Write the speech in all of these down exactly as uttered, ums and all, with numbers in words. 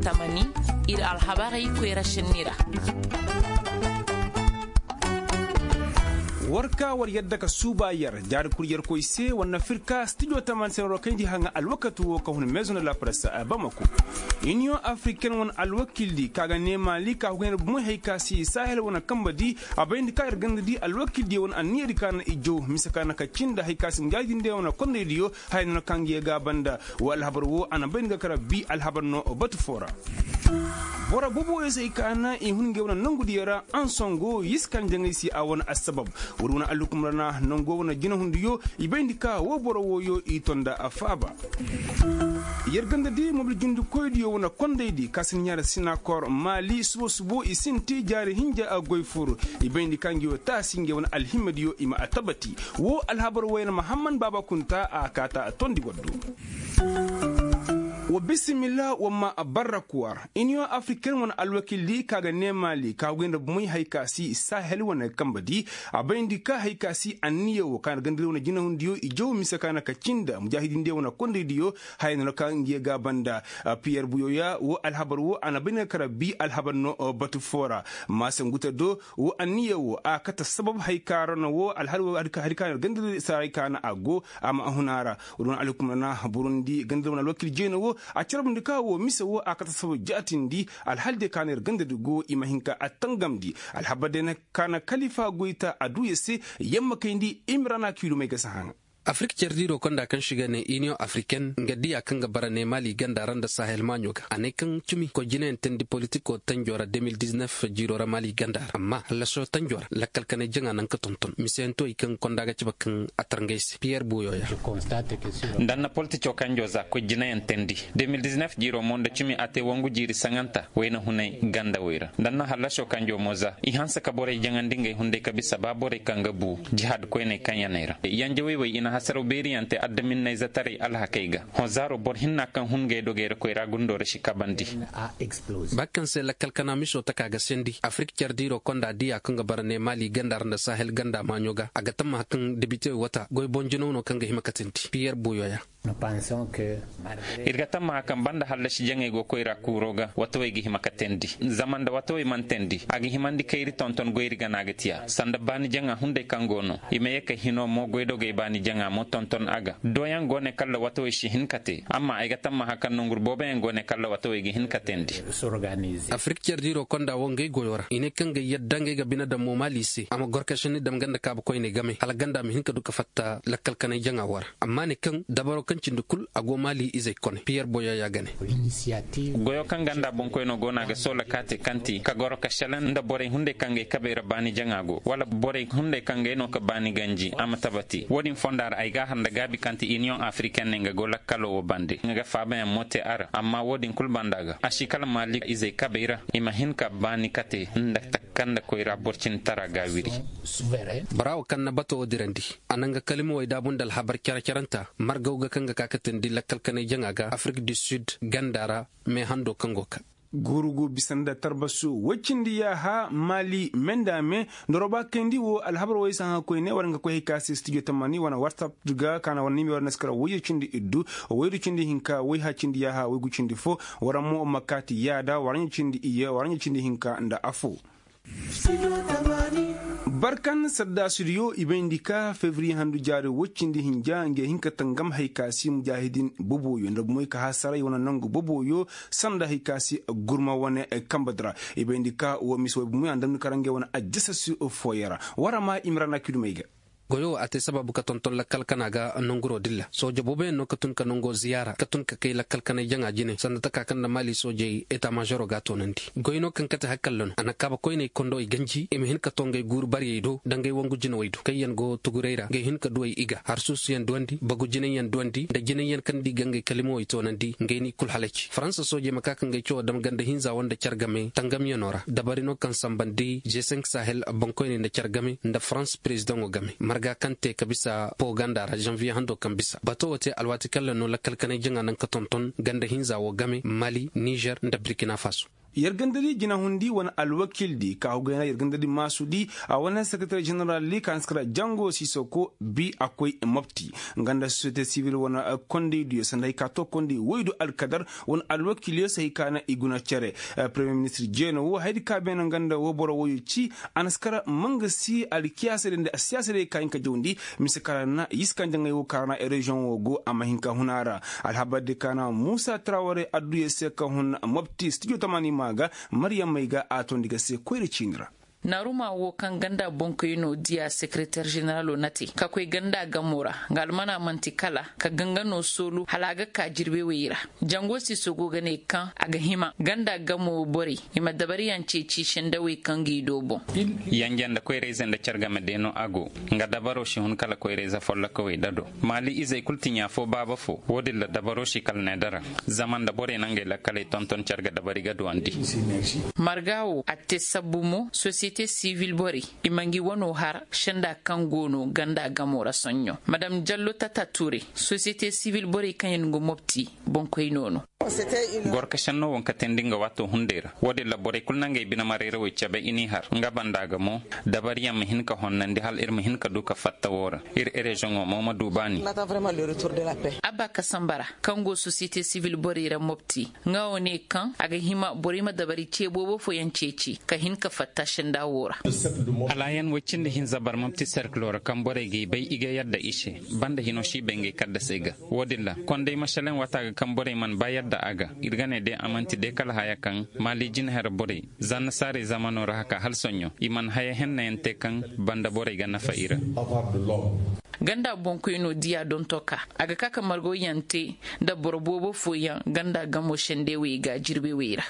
Tamani, ir alhabarey koyra senni ra. War ka war yadda ka suuba yer jaari kul yerkoy se war na fir ka stijo tamani se na war kayndi haŋa alwakati wo ka hun maison de la presse bamako. Iniyoŋ afriken wane alwakildi ka ga ne maali ka hugaynda bumoy hay ka si sahel wane kamba di a bayndi ka ir ganda di alwakildi wane anniya di ka na i jaw mise ka na ka cinda hay ka si mujaahidin de wane kondaydiyo. Haya no na kaŋ ga ye ga banda. Wa alhabar wo a na bay ni ga kara bi alhabar no batu fo ra. Boro boboyo se i ka na i hun ngey wane nangu diyo ra ansongo yiskan jaŋay se a wane assabab. Wuri wane allukum ra na nango wane jinahundiyo i bay ni ka wo boro woyo i tonda a faaba. Yer ganda di mobil jundikoydiyo wane kondaydi ka si ni ɲaara sinakor maali subo subo i sinti jaari hinja a goy fur. I bay ni ka ngi wo taasi ngi wane alhimmadiyo i ma a tabati. Wo alhabar wayna mahamman baaba kunta a kaata a tondi waddu. Wa bisimilla wa ma barra kuwar iniyoŋ afriken wane alwakildi ka ga ne maali ka goy nda bumey hay ka si sahel wane kamba di. A bayndi ka hay ka si anniya wo ka na gandari wane jinahundiyo i jaw mise ka na ka cinda mujaahidindiyo wane kondaydiyo. Haya no na ka ngiye ga banda. Piyer buyoya wo alhabar wo a na bay ni ga kara bi alhabar no batu fo ra. Maasa nguta do wo anniya wo a kate sabab hay ka ra no wo alhari wo hari ka na gandari saray ka na a go. A ma a hun a ra. Wala wane alhukum ra na burundi gandari wane alwakil jeena wo a carbundi ka wo mise wo a kate sabab jaatindi. Alhali day ka na ir gandari go i ma hin ka a tangamndi. Alhabar day na ka na kalifa goyta a duuya se. Yamma kayndi imrana kiilumey ga si haŋa. Afirka cardiiro konda kaŋ si ga ne iniyoŋ afiriken nga diya kaŋ ga bara ne maali ganda ra nda sahel maaɲo ga a ne kaŋ cimi koy jinayaŋ teendi politiko tanjo ra de mil diznef jiiro ra maali ganda ra amma hallasoo tanjo ra lakkal kanay jaŋa naŋ ka tonton miseyanto i kaŋ konda ga cabe kaŋ a tar ngey se piyer buuyo ya. Nda nna politico kanjo za koy jinayaŋ teendi de mil diznef jiiro mo nda cimi a te wangu jiiri saŋanta wayna hunay ganda wey ra nda nna hallasoo kanjo mo za i hanse ka borey jaŋandi ngey hunday ka bisa ba borey kaŋ ga bu jihaad koyney kaŋ yaney ra yanjawey wey i na hasaraw beeriyaŋ te adaminnayzetaray alhakey ga. Hõ zaaro boro hinna kaŋ hun ngey dogey ra koyra gundo ra si kabandi. Ba kaŋ se lakkal kana miso taka ga sendi afirik care diiro konda diya kaŋ ga bara ne maali ganda ra nda sahel ganda maaɲo ga a ga tammaha kaŋ debitewey wata goy boŋ jinaw no kaŋ ga hima ka tindi piyer buuyo ya. Ir ga tammaha kaŋ banda hallasi jaŋey go koyra kuuro ga watawey ga hima ka teendi. Zama nda watawey mana teendi a ga himandi kayri tonton goyri gana ga tiya sanda baani jaŋa hunday kaŋ go no i ma ye ka hino mo goydogey baani jaŋa mo tonton a ga doyaŋ go ne kalla watawey si hin ka te amma ay ga tammaha kaŋ nongur booboyaŋ go ne kalla watawey ga hin ka teendi. Afirik care diiro konda wo ngey goyo ra i ne kaŋ ga yadda ngey ga bine daŋ mo maali se a ma gor ka senni dam ganda kaabakoyney game hala ganda ma hin ka du ka fatta lakkal kanay jaŋa wo ra. Amma ne kaŋ dabaro kaŋ cindi kul a go maali izey kone piyer boyoya ga ne. Goyo kaŋ ganda boŋkoyno go no a ga soola ka te kaŋ ti ka goro ka selaŋ nda borey hunday kaŋ gay kabey ra baani jaŋa go wala borey hunday kaŋ gay no ka baani ganji a ma tabati wo-din fonda ra ay ga a har nda gaabi kaŋ ti iniyoŋ afiriken ne nga go lakkalo wo bande nga ga faabayaŋ mo te a ra amma wo-din kul banda ga a si kala maali izey kabey ra i ma hin ka baani kate nda takka nda koyra boro cindi tara ga wiri. Bora wo kaŋ na bato wo dirandi a na nga kalimawey daabu nda alhabar care-caranta margaw ga kaŋ ga ka ka teendi lakkal kanay jaŋa ga afirik du sid ganda ra. Me hando kaŋ go ka. Gurugu bisa nda tarbasu woy cindi yaaha maali me nda me nda roba kayndi wo alhabar woy si haŋa koyne war nga koy hay ka se stijo tamani wane whatsapp ga ka na war nime war na si kara woyyo cindi iddu woydu cindi hinka woyha cindi yaaha woygu cindi fo. War mo ma kaati yaada war ɲa cindi iyye war ɲa cindi hinka nda afo. Barkan saddaasidiyo i bayndi ka fevriye handu jaari woy cindi hinja ngey hin ka tangam hay ka si mujaahidin boboyo nda bumoy ka hasaray wane nangu boboyo sanda hay ka si gurma wane kambadi ra. I bayndi ka wo mise woy bumoy a ndamni kara ngey wane ajjasasi fooyo ra. War ma imrana kidumey ga. Goyo wo a te sababu ka tonton lakkal kana ga nonguro dilla sooja booboyaŋ no ka tun ka nongo ziyaara ka tun ka kay lakkal kanay jaŋa jine sanda taka kaŋ nda maali soojey eta maazoro ga a toonandi. Goy no kaŋ kate hakalla no a na kaaba koyney kondo i ganji i ma hin ka to ngey guuru baryey do nda ngey wangu jinawey do kaŋ yaŋ go tuguray ra ngey hin ka duwey i ga harsuusuyaŋ duwandi bagu jinayyaŋ duwandi nda jinayyaŋ kaŋ nda i ga ngey kalimawey toonandi ngey n'i kul halaci faransa soojey ma ka ka ngey cawo dam ganda hinza wo nda care game tangamyaŋo ra dabari no kaŋ sambandi g cinq sahel boŋkoyney nda care game nda farans perezidaŋo game marga kaŋ te ka bisa poganda ra zanviye hando kaŋ bisa bato wo te alwaati kaŋ ra no lakkal kanay jaŋa naŋ ka tonton ganda hinza wo game mali nizer nda burkina faso. Yer gandadi jinahundi wane alwakildi ka hugayna yer gandadi maasudi a wane sekereter jeneraldi ka na si kara jango sisoko bi a koy mopti nga nda sosiyete sivil wane kondaydiyo sanda hay ka to kondi woydu alkadar wane alwakilyo se hay ka na i guna cere. Premiyer ministir jeeno wo hayadi ka beene nga nda wo boro woyo ci a na si kara manga si alkiyaasa day nda siyaasa day ka hin ka jawndi mise ka ra na yiska njaŋay wo ka ra na reziyoŋ wo go a ma hin ka hun a ra. Alhabar di ka na muusa taraware adduya se ka hun mopti stijo tamaani maa ga. Maryam may ga a tondi ga se koyra ciini ra. Naaruma wo kaŋ ganda boŋkoyno diya sekereter jeneralo na te ka koy ganda gamo ra nga almana man'ti kala ka ganga no soolu hala a ga ka jirbe wey ra. Jango siso go ga ne kaŋ a ga hima ganda gamo borey i ma dabariyaŋ ceeci sendawey kaŋ ga i do boŋ. Yanje nda koyrayze nda care game de no a go. Nga dabaro si hun kala koyrayze follokawey da do maali izey kul ti ɲaa fo baaba fo wo-din ra dabaro si kala ne dara. Zama nda borey na ngey lakkaley tonton care ga dabari ga duwandi. Marga wo a te sabbu mo sosiyete sivil borey i ma ngi wano har senda kaŋ go no ganda gamo ra soɲɲo madam jallo tata ture sosiyete sivil borey kaŋ yaŋ go mopti boŋkoyno no. Gorka senno wo nga katandi nga waato hunday ra wo-din ra borey kulu na ngey bine marayrawey cabe i n'i har nga banda ga mo dabariyaŋ ma hin ka honnandi hala ir ma hin ka du ka fatta wo ra. Ir reziyoŋo mo ma du baani. Abba kasambara kaŋ go sosiyete sivil borey ra mopti nga wo ne kaŋ a ga hima borey ma dabari ce boobo fooyaŋ ceeci ka hin ka fatta senda wo ra. Alaayan woy cindi hinza barmam ti serkilo ra kaŋ borey g'i bay i ga yadda i se banda hino si bay ngey kaddasey ga. Wo-din ra konday masalaŋ waata ga kaŋ borey mana ba yadda a ga ir ga ne de a man'ti de kala haya kaŋ maali jinahera borey zanna saaray zamano ra haka hala soɲɲo i mana haya hennayaŋ te kaŋ banda borey ga nafa i ra. Ganda boŋkoyno diya donto ka a ga ka ka margawyaŋ te nda boro boobo fooyaŋ ganda gamo sendewey ga jirbewey ra.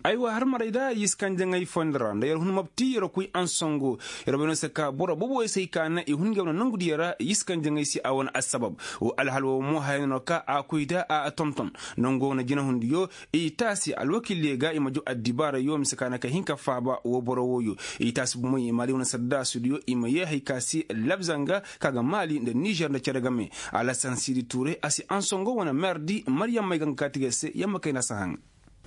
Aywa har maray da yiskanjaŋey fondi ra nda yer hun mabti yer kuy ansongo. Yer bay no se ka boro boobo yer se hay ka na i hun ngey wane nongudiyo ra yiskanjaŋey se a wane assabab. Wo alhal wo mo haya no ka a kuy da a tonton nongo wane jinahundiyo. I taasi alwakildiyo ga i ma jaw addibaarayo mise ka na ka hin ka faaba wo boro wooyo. I taasi bumey i ma di wane saddaasudiyo i ma yee hay ka si labzanga ka ga maali nda nizer nda cere game. Alasan sidi tuure a si ansongo wane meerdi maryammey ga nga kaati ga se yamma kayna si haŋ.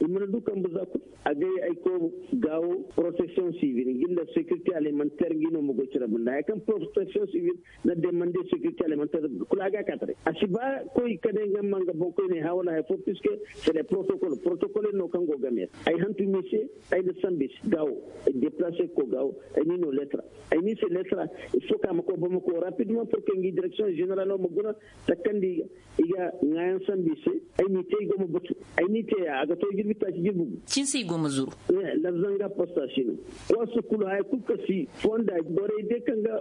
I mana du kambe za kulu. Agay ay ko gaawo protection civil ngi nda sécurité alimentaire ngi no ma goy cere banda haya kaŋ protection civil na demande sécurité alimentaire kulu a ga a kaati day a si ba koy kade nga ma nga boŋ koy ne hawala hay fo puisque c'est les protocoles protocole no kaŋ go game ay hantu mise. Ay na sambi se gaawo ay déplacer ko gaawo ay ni no lettre ay ni se lettre. Il faut ka ma ko ba ma ko rapidement pour que ngi direction générale ma guna takkandi i ga ŋaayaŋ sambu i se. Ay n'i te i go ma batu ay n'i te ya a ga to jirbi taaci jirbi gu. Cinse i go ma zuru. Labzanga posta si no. Koso kulu haya kulu ka si fonda borey de kaŋ ga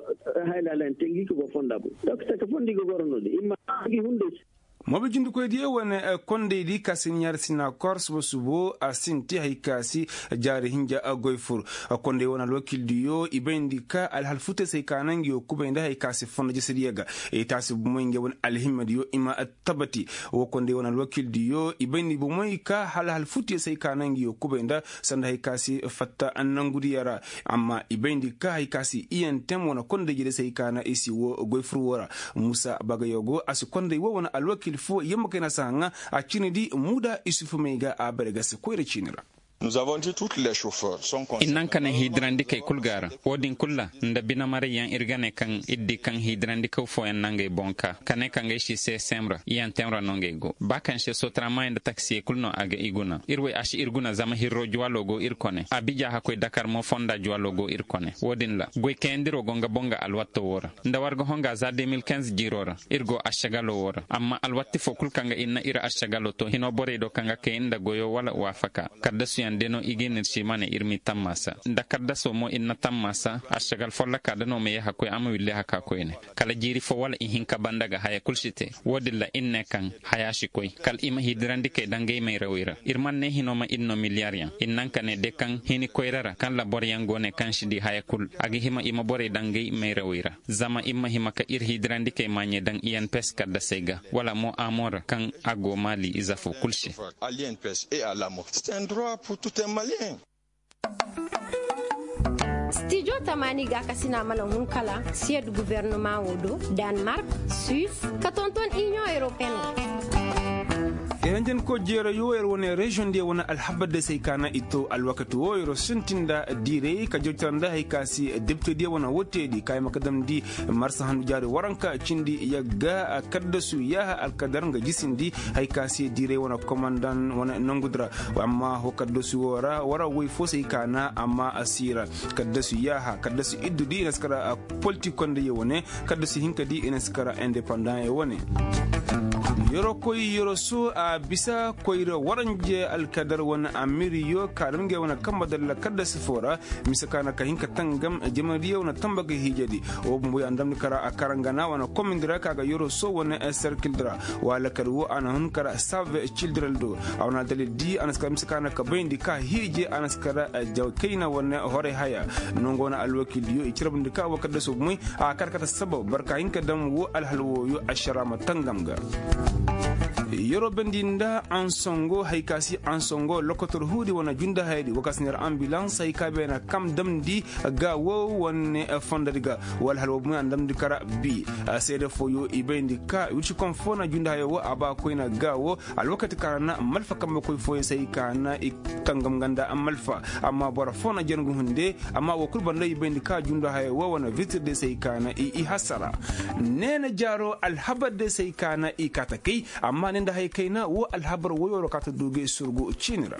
haya laalayaŋ te ngi ka go fonda boŋ. Donk taka fonda i ga goro no-din i ma ngi hunday se. Moobijindikoydiyo wane kondaydi ka si ɲaari sina kor suba subo a sinti hay ka si jaari hinja goy fur. Konday wane alwakildiyo i bayndi ka alhal futey se hay ka na ngi yo kubay nda hay ka si fonda jesediyo ga. I taasi bumey nge wane alhimmadiyo i ma tabati. Wo konday wane alwakildiyo i bayndi bumey ka alhal futey se hay ka na ngi yo kubay nda sanda hay ka si fatta nongudiyo ra. Amma i bayndi ka hay ka si iyantem wane konday jere se hay ka na i si wo goy fur wo ra. Muusa bagayo go a si konday wo wane alwakil fo yamma kayna si haŋa. A ciini di muuda isufu may ga a bare ga se koyra ciini ra. I naŋ ka ne hiidirandikey kul ga a ra. Wo-din kul ra nda binemarayyaŋ ir ga ne kaŋ ir di kaŋ hiidirandikaw fooyaŋ na ngey boŋ ka ka ne ka ngey si se sem ra iyantem ra no ngey go ba kaŋ se sotaramaayey nda taksiyey kul no a ga i guna ir wey a si ir guna zama hirro juwalo go ir kone abija hakkoy dakar mo fonda juwalo go ir kone wo-din ra goy kayandiro go nga boŋ ga alwatto wo ra. Nda war ga honga za deux mille quinze jiiro ra ir go ašagalo wo ra amma alwatti fo kul kaŋ ga ir na ir ašagalo to hino borey do kaŋ ga kay nda goyo wala waafaka. Kaddasuyaŋ de no i ga ir n'ir si ma ne ir m'i tammaasa nda kaddaso mo ir na tammaasa ašagal folloka da no ma ye hakkoy a ma willi haka koyne. Kala jiiri fo wala ihinka banda ga haya kul si te. Wo-din ra ir ne kaŋ haya si koy kala i ma hiidirandi kay daŋ ga i mayrawey ra ir mana ne hino ma ir no miliyaryaŋ ir naŋ ka ne de kaŋ hini koyra ra kaŋ ra boryaŋ go ne kaŋ si di haya kul a ga hima i ma borey daŋ ga i mayrawey ra. Zama ir ma hima ka ir hiidirandi kay maaɲey daŋ i n p s kaddasey ga wala mo amo ra kaŋ a go maali ize fo kul se. Stijo tamaani gaakasina mana hun kala siyed gubernama wo do, danemark, suisse, ka tonton inion europeen wo. Yer hanjanko jeerayo yer wane reziyoŋ diyo wane alhabar day se ay kaana i to alwakati wo yer sintin nda diiray ka jawcar nda hari ka se depite diyo wane wote di ka ay ma ka damndi marsa handu jaari waranka cindi yagga kaddasu yaaha alkadar nga jisindi hari ka se diiray wane komandan wane nongu di ra. Amma ho kaddasu wo ra war woy fo se ay kaana amma a siira kaddasu yaaha kaddasu iddu di i na si kara politik konda ye wane kaddasu hinka di i na si kara indepandan ye wane. Yorokoy yoroso a bisa koyra waranje alkadar wane amiriyo ka dam ngey wane kamba dalla kaddasu fo ra mise ka na ka hin ka tangam jamariyo wane tamba ga hiijedi. Wo bumbo ya na damndi kara a karangana wane komindi ra ka ga yoroso wane serkil di ra. Wala kadi wo a na hun kara save cildiral do a wane adalil di a na si kara mise ka na ka bayndi ka hiije a na si kara jaw kayna wane horay haya. Nongo wane alwakildiyo i cirabndi ka wo kaddasu bumey a kar kate sabab barka hinka dam wo alhal wooyo ašara ma tangam ga. Yeroo bendi nda ansongo hari ka si ansongo lokotor huudi wane jundahayadi wo ka si neera ambilans hari ka beena kam damndi ga wo wane fondodi ga. Wo alhal woo bumey a na damndi kara bi seede fooyo i bayndi ka wirci kom foo na jundahayo woo a ba koyna ga woo alwakati ka ra na malfa kambekoy fooyo se hari ka na i tangam nga nda malfa. Amma boro foo na jangu hunde amma woo kul banda i bayndi ka jundahayo woo wane vitir de se hari ka na i i hasara. Neena jaaro alhabar de se hari ka na i kaa ta kay amma ne nda hari kayna woo alhabar woyoo ra kaa ta du ga i surgu ciini ra.